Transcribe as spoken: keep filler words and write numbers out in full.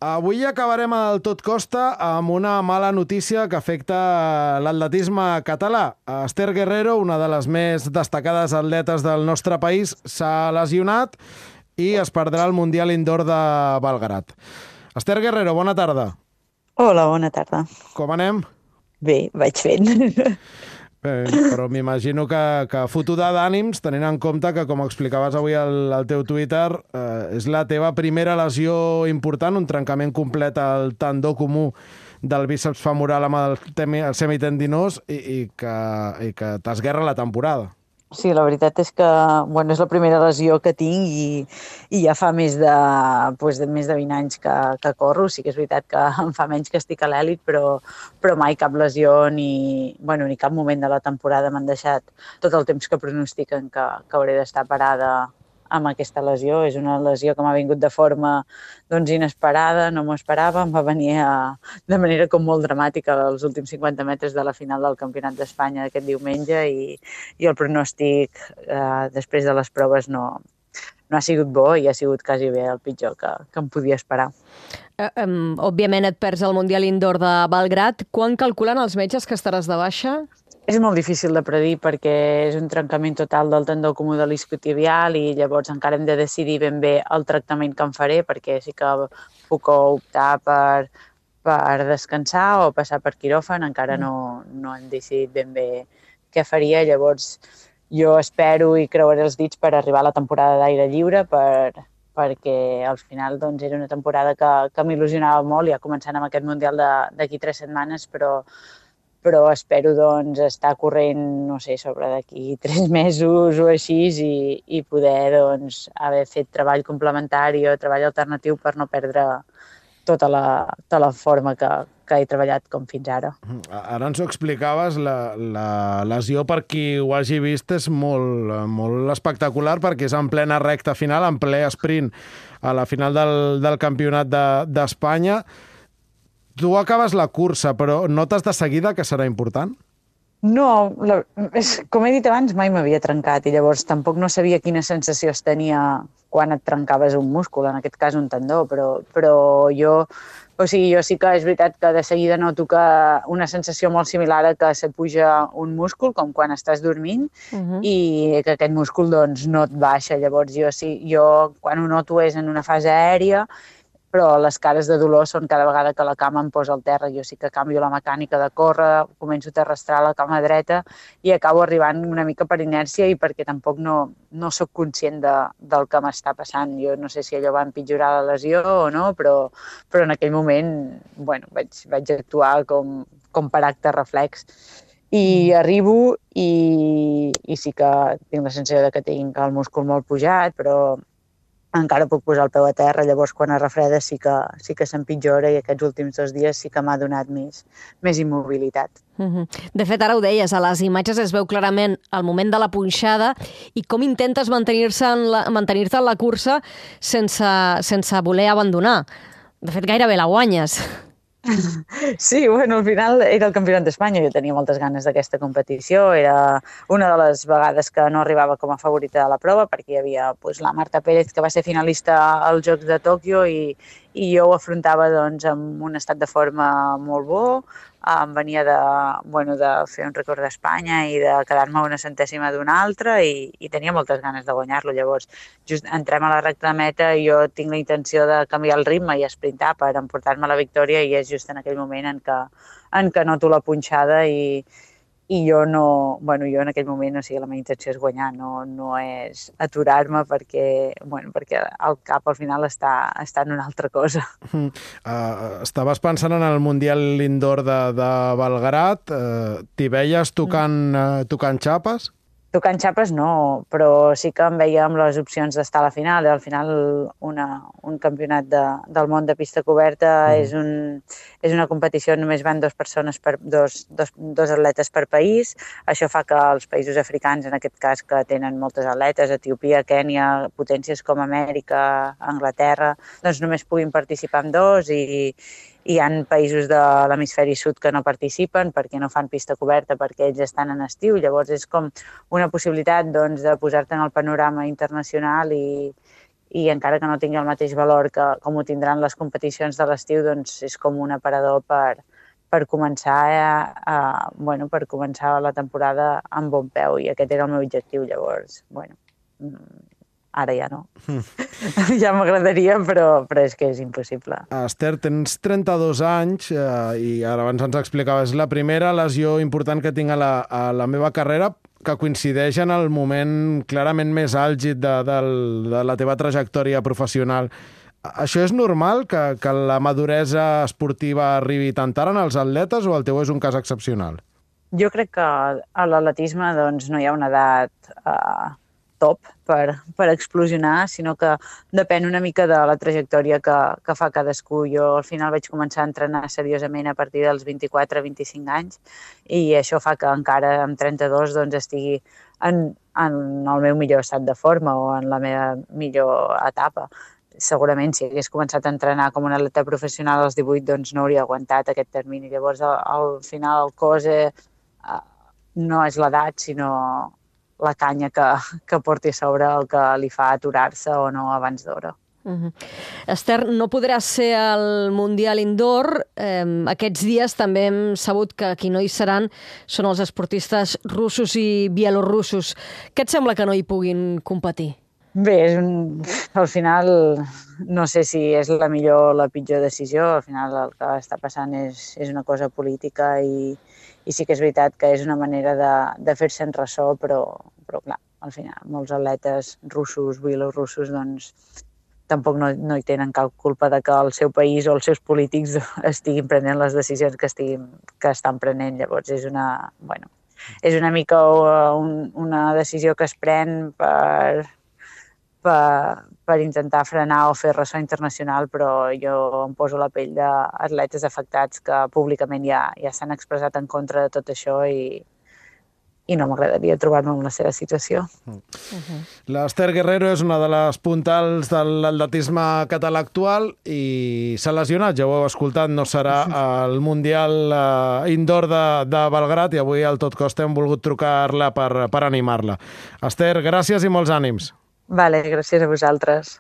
Avui acabarem el tot costa amb una mala notícia que afecta l'atletisme català. Esther Guerrero, una de les més destacades atletes del nostre país, s'ha lesionat i es perdrà el Mundial Indoor de Belgrad. Esther Guerrero, bona tarda. Hola, bona tarda. Com anem? Bé, vaig fent. Bé, però m'imagino que, que fotuda d'ànims, tenint en compte que, com explicaves avui al, al teu Twitter, eh, és la teva primera lesió important, un trencament complet al tendó comú del bíceps femoral amb el, temi, el semitendinós i, i que, i que t'esguerra la temporada. Sí, la veritat és que bueno, és la primera lesió que tinc i, i ja fa més de, pues, de, més de vint anys que, que corro. Sí que és veritat que em fa menys que estic a l'èlit, però, però mai cap lesió ni, bueno, ni cap moment de la temporada m'han deixat tot el temps que pronostiquen que, que hauré d'estar parada amb aquesta lesió. És una lesió que m'ha vingut de forma doncs, inesperada, no m'ho esperava, em va venir a, de manera com molt dramàtica als últims cinquanta metres de la final del Campionat d'Espanya aquest diumenge i, i el pronòstic eh, després de les proves no, no ha sigut bo i ha sigut quasi bé el pitjor que, que em podia esperar. Uh, um, òbviament et perds el Mundial Indoor de Belgrad. Quan calculen els metges que estaràs de baixa? És molt difícil de predir perquè és un trencament total del tendó comú de l'isquiotibial i llavors encara hem de decidir ben bé el tractament que em faré, perquè sí que puc optar per, per descansar o passar per quiròfan, encara no, no hem decidit ben bé què faria. Llavors jo espero i creuaré els dits per arribar a la temporada d'aire lliure, per, perquè al final doncs, era una temporada que, que m'il·lusionava molt, ja començant amb aquest Mundial d'aquí tres setmanes, però però espero doncs, estar corrent, no sé, sobre d'aquí tres mesos o així i, i poder doncs, haver fet treball complementari o treball alternatiu per no perdre tota la, tota la forma que, que he treballat com fins ara. Ara ens ho explicaves, la, la lesió per qui ho hagi vist és molt, molt espectacular perquè és en plena recta final, en ple sprint a la final del, del Campionat d'Espanya. De, Tu acabes la cursa, però notes de seguida que serà important? No, la, és, com he dit abans, mai m'havia trencat i llavors tampoc no sabia quina sensació es tenia quan et trencaves un múscul, en aquest cas un tendó, però, però jo, o sigui, jo sí que és veritat que de seguida noto que una sensació molt similar a que se puja un múscul, com quan estàs dormint, uh-huh. i que aquest múscul doncs, no et baixa. Llavors jo, sí, jo quan ho noto és en una fase aèria, però les cares de dolor són cada vegada que la cama em posa al terra. Jo sí que canvio la mecànica de córrer, començo a arrastrar la cama dreta i acabo arribant una mica per inèrcia i perquè tampoc no, no sóc conscient de, del que m'està passant. Jo no sé si allò va empitjorar la lesió o no, però, però en aquell moment bueno, vaig, vaig actuar com, com per acte reflex. I arribo i, i sí que tinc la sensació de que tinc el múscul molt pujat, però encara puc posar el peu a terra, llavors quan es refreda sí que, sí que s'empitjora i aquests últims dos dies sí que m'ha donat més, més immobilitat. Uh-huh. De fet, ara ho deies, a les imatges es veu clarament el moment de la punxada i com intentes mantenir-se en la, mantenir-te en la cursa sense, sense voler abandonar. De fet, gairebé la guanyes. Sí, bueno, al final era el Campionat d'Espanya, jo tenia moltes ganes d'aquesta competició, era una de les vegades que no arribava com a favorita de la prova perquè hi havia pues, la Marta Pérez que va ser finalista als Jocs de Tòquio i, i jo ho afrontava doncs, amb un estat de forma molt bo, em venia de, bueno, de fer un rècord d'Espanya i de quedar-me una centèsima d'una altra i, i tenia moltes ganes de guanyar-lo. Llavors, just entrem a la recta de meta i jo tinc la intenció de canviar el ritme i esprintar per emportar-me la victòria i és just en aquell moment en què, en què noto la punxada i, i jo no, bueno, jo en aquell moment, o sigui, la meva intenció és guanyar, no, no és aturar-me perquè, bueno, perquè el cap al final està, està en una altra cosa. Uh, estaves pensant en el Mundial Indoor de, de Belgrad, uh, t'hi veies tocant, uh, tocant xapes? Tocant xapes no, però sí que em veia amb les opcions d'estar a la final. Al final una, un campionat de, del món de pista coberta mm. és, un, és una competició on només van dues persones per, dos, dos, dos atletes per país. Això fa que els països africans, en aquest cas que tenen moltes atletes, Etiòpia, Kènia, potències com Amèrica, Anglaterra, doncs només puguin participar en dos i hi ha països de l'hemisferi sud que no participen perquè no fan pista coberta, perquè ells estan en estiu. Llavors és com una possibilitat doncs, de posar-te en el panorama internacional i, i encara que no tingui el mateix valor que com ho tindran les competicions de l'estiu, doncs és com un aparador per, per començar a, a, bueno, per començar la temporada amb bon peu, i aquest era el meu objectiu. Llavors, bueno, ara ja no. Mm. Ja m'agradaria, però, però és que és impossible. Esther, tens trenta-dos anys eh, i ara abans ens explicaves la primera lesió important que tinc a la, a la meva carrera, que coincideix en el moment clarament més àlgid de, de, de la teva trajectòria professional. Això és normal, que, que la maduresa esportiva arribi tan tard en els atletes, o el teu és un cas excepcional? Jo crec que a l'atletisme doncs, no hi ha una edat eh, top per, per explosionar, sinó que depèn una mica de la trajectòria que, que fa cadascú. Jo al final vaig començar a entrenar seriosament a partir dels vint-i-quatre vint-i-cinc anys, i això fa que encara amb trenta-dos doncs, estigui en, en el meu millor estat de forma o en la meva millor etapa. Segurament, si hagués començat a entrenar com un atleta professional als divuit, doncs no hauria aguantat aquest termini. Llavors, al, al final, el cos eh, no és l'edat, sinó la canya que, que porti a sobre el que li fa aturar-se o no abans d'hora. Uh-huh. Esther, no podràs ser al Mundial Indoor. Eh, aquests dies també hem sabut que qui no hi seran són els esportistes russos i bielorussos. Què et sembla que no hi puguin competir? Bé, és un... al final no sé si és la millor o la pitjor decisió. Al final el que està passant és, és una cosa política, i, i sí que és veritat que és una manera de, de fer-se'n ressò, però, però clar, al final molts atletes russos, bielorussos, doncs tampoc no, no hi tenen cap culpa de que el seu país o els seus polítics estiguin prenent les decisions que, estiguin, que estan prenent. Llavors és una, bueno, és una mica un, una decisió que es pren per... Per, per intentar frenar o fer ressò internacional, però jo em poso la pell d'atletes afectats que públicament ja, ja s'han expressat en contra de tot això, i, i no m'agradaria trobar-me en la seva situació. Uh-huh. L'Esther Guerrero és una de les puntals de l'atletisme català actual i s'ha lesionat, ja ho heu escoltat, no serà al Mundial uh, Indoor de, de Belgrat, i avui al Tot Costa hem volgut trucar-la per, per animar-la. Esther, gràcies i molts ànims. Vale, gràcies a vosaltres.